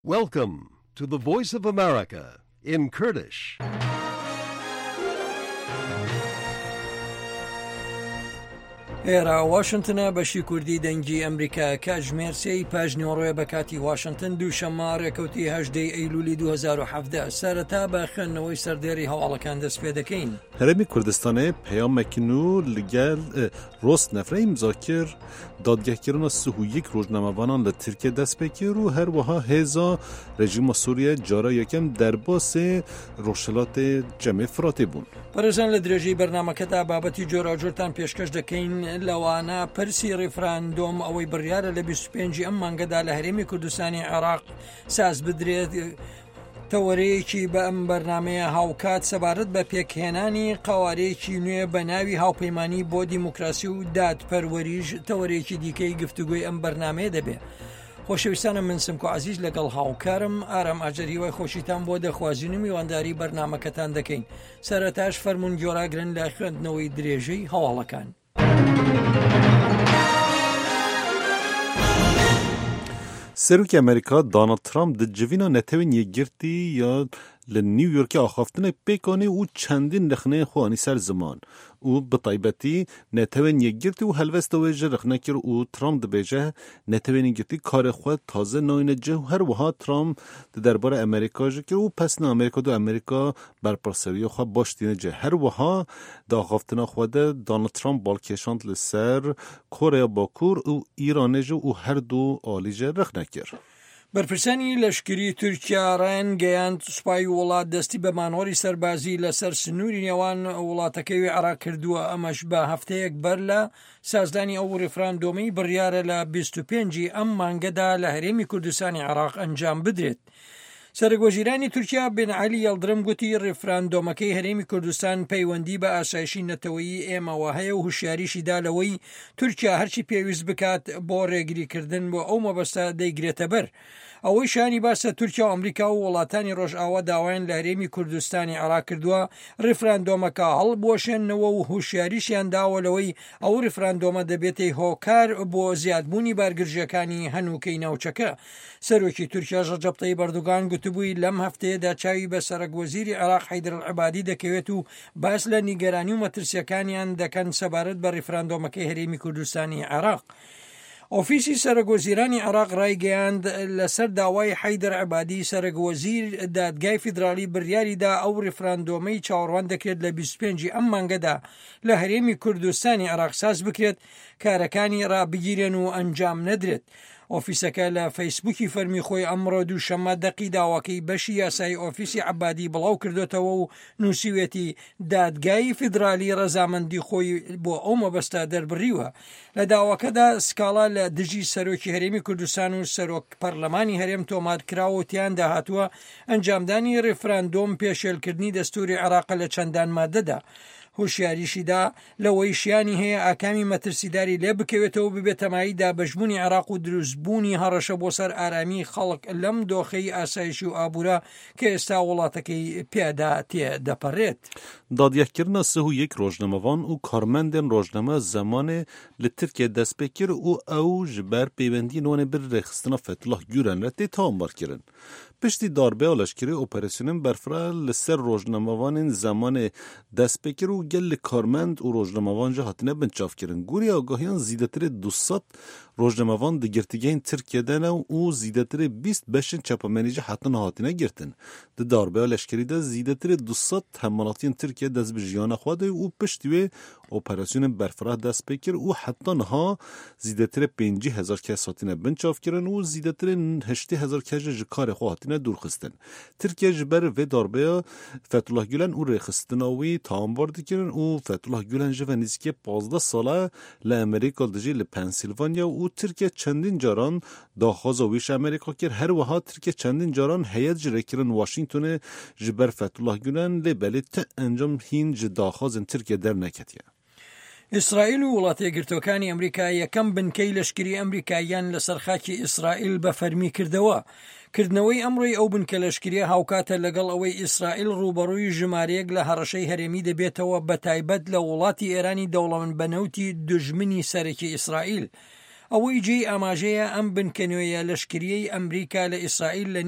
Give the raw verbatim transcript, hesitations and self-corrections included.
Welcome to the Voice of America in Kurdish. ئێرە واشنتنە بەشی کوردی دەنگی ئەمریکا کاتژمێر سێی پاش نیوەڕۆیە بە کاتی واشنتن دووشەممە ڕێکەوتی هەژدەی ئەیلولی دوو هەزار و حەڤدە. سەرەتا بە خوێندنەوەی سەردێڕی هەواڵەکان دەست پێ دەکەین. هەرێمی کوردستانێ پەیامێک نوو لەگەل ڕۆس نەفرە ئیمزا کرد. دادگەهکردنا سه و یەک ڕۆژنامەوانان لە تورکیە دەست پێ کرد و هەروەها هێزا رژیما سوریە جارا یەکەم دەرباسێ ڕۆژهەڵاتێ چەمێ فراتێ بوون. بەڕێزان لە درێژەی بەرنامەکەدا بابەتی جۆراوجۆرتان پێشکەش دەکەین، لەوانە پرسی ڕیفراندۆم ئەوەی بڕیارە لە بیست و پێنج ئەم مانگەدا لە هەرێمی کوردستانی عێراق ساز بدرێت. تەوەرەیەکی بە ئەم بەرنمەیە هاوکات سەبارەت بە پێکهێنانی قەوارەیەکی نوێ بە ناوی هاوپەیمانی بۆ دیموکراسی و دادپەروەریش تەوەرەیەکی دیکەی گفتوگۆی ئەم بەرنمەیە دەبێت. خۆشەویستانە من سمکۆ عەزیز لەگەڵ هاوکارم ئارام ئاجەر هیوای خۆشیتان بۆ دەخوازین و میوانداری بەرنامەکەتان دەکەین. سەرەتاش فەرمونون گۆراگرن لە خوێندنەوەی درێژەی هەواڵەکان. سەرۆکی ئەمریکا دۆناڵد ترامپ di civîna Netewên Yekgirtî ya li New Yorkê axaftinek pêk anî û çendîn rexneyên xwe anî ser ziman û bi taybetî Netewên Yekgirtî û helwesta wê ji rexne kir û Trump dibêje Netewên Yekgirtî karê xwe taze nayîne cih û her wiha Trump di derbarê Amerîka jî kir û pesna Amerîka du Amerîka berpirsiyariya xwe baş tîne cih. Her wiha di axaftina xwe de Donald Trump balkêşand li ser Koreya Bakur û Îranê jî û her du alî jî rexne kir. بەرپرسانی لەشکری تورکیا ڕایانگەیاند سوپای وڵات دەستی بە مانۆری سەربازی لەسەر سنووری نێوان وڵاتەکەی عێراق کردووە، ئەمەش بە هەفتەیەک بەر لە سازدانی ئەو ڕیفراندۆمەی بڕیارە لە بیست و پێنجی ئەم مانگەدا لە هەرێمی کوردستانی عێراق ئەنجام بدرێت. سەرۆکوەزیرانی تورکیا بن عەلی یەڵدرم گوتی ڕیفراندۆمەکەی هەرێمی کوردستان پەیوەندی بە ئاسایشی نەتەوەیی ئێمەوە هەیە و هوشیاریشی دا لەوەی تورکیا هەرچی پێویست بکات بۆ ڕێگریکردن بۆ ئەو مەبەستە دەیگرێتە بەر. ئەوەی شانی باسە تورکیا و ئەمریکا و وڵاتانی ڕۆژئاوا داوایان لە هەرێمی کوردستانی عێراق کردووە ڕیفراندۆمەکە هەڵبوەشێنەوە و هوشیاریشیان داوە لەوەی ئەو ڕیفراندۆمە دەبێتەی هۆکار بۆ زیادبوونی بارگرژیەکانی هەنووکەی ناوچەکە. سەرۆکی تورکیا ڕەجەب تەیب ئەردۆغان گوتبووی لەم هەفتەیەدا چاوی بە سەرەک وەزیری عێراق حەیدەر العەبادی دەکەوێت و باس لە نیگەرانی و مەترسیەکانیان دەکەن سەبارەت بە ڕیفراندۆمەکەی هەرێمی کوردستانی عێراق. ئۆفیسی سەرۆکوەزیرانی عێراق ڕایگەیاند لەسەر داوای حەیدەر عەبادی سەرۆکوەزیر دادگای فیدراڵی بڕیاریدا ئەو ڕیفراندۆمەی چاوەڕوان دەکرێت لە بیست و پێنجی ئەم مانگەدا لە هەرێمی کوردستانی عێراق ساز بکرێت، کارەکانی ڕابگیرێن و ئەنجام نەدرێت. ئۆفیسەکە لە فەیسبووکی فەرمی خۆی ئەمڕۆ دووشەممە دەقی داواکەی بەشی یاسایی ئۆفیسی عەبادی بڵاو کردوتەوە و نووسیوێتی دادگای فیدرالی ڕەزامەندی خۆی بۆ ئەو مەبەستە دەربڕیوە. لە داواکەدا سکاڵا لە دژی سەرۆکی هەرێمی کوردستان و سەرۆک پەرلەمانی هەرێم تۆمار کراوە و تیاندا هاتووە ئەنجامدانی ڕیفراندۆم پێشێلکردنی دەستوری عێراق لە چەندان مادەدا. هۆشیاریشیدا لەوەی شیانی هەیە ئاکامی مەترسیداری لێ بکەوێتەوە ببێتە مایەی دابەشبوونی عێراق و دروستبوونی هەڕەشە بۆ سەر ئارامی خەڵک لەم دۆخەی ئاسایشی و ئابوورە کە ئێستا وڵاتەکەی پێدا تێدەپەڕێت. دادگەهکردنا سه و یەک ڕۆژنامەوان و کارمەندên ڕۆژنامە زەمانê li Tirkiye dest pê kir û ew ji ber pêwendiyên wan ê bi rêxistina Fethullah Gülen re tê tawanbarkirin. Piştî darbeya leşkerî operasyonên berfireh li ser rojnamevanên zemanê dest pê kir û gelek karmend û rojnamevan jî hatine binçavkirin. Gorî agahiyan zêdetirê du sed rojnamevan di girtîgehên Tirkiye de ne û zêdetirê bîst beşên çapemenî jî heta hatine girtin. Di darbeya leşkerî de zêdetirê du sed hemwelatiyên Tirkiye dest bi jiyana xwe de û piştî wê operasyonên berfireh dest pê kir û heta niha zêdetirê pêncî hezar kes hatine binçavkirin û zêdetirê heştê hezar kes jî ji karê xwe hatine dûrxistin. Tirkiye ji ber vê darbeya Fethullah Gülen û rêxistina wî tawanbar dikirin û Fethullah Gülen ji ve nêzîkê pazdeh sal e li Amerîka dijî li Pensîlvanya û Tirkiye çendîn caran daxwaza wî ji Amerîka kir. Her wiha Tirkiye çendîn caran heyet ji rêkirin Washingtonê ji ber Fethullah Gülen lê belê ti encam hîn ji daxwazên Tirkiye derneketiye. ئیسرائیل و وڵاتە یەکگرتووەکانی ئەمریکا یەکەم بنکەی لەشکری ئەمریکاییان لەسەر خاکی ئیسرائیل بە فەرمی کردەوە. کردنەوەی ئەمڕۆی ئەو بنکە لەشکریە هاوکاتە لەگەڵ ئەوەی ئیسرائیل ڕووبەڕووی ژمارەیەک لە هەڕەشەی هەرێمی دەبێتەوە، بە تایبەت لە وڵاتی ئێرانی دەوڵەمەند بە نەوتی دوژمنی سەرەکی ئیسرائیل. ئەوەی جێی ئاماژەیە ئەم بنکە نوێیە لەشکریەی ئەمریکا لە ئیسرائیل لە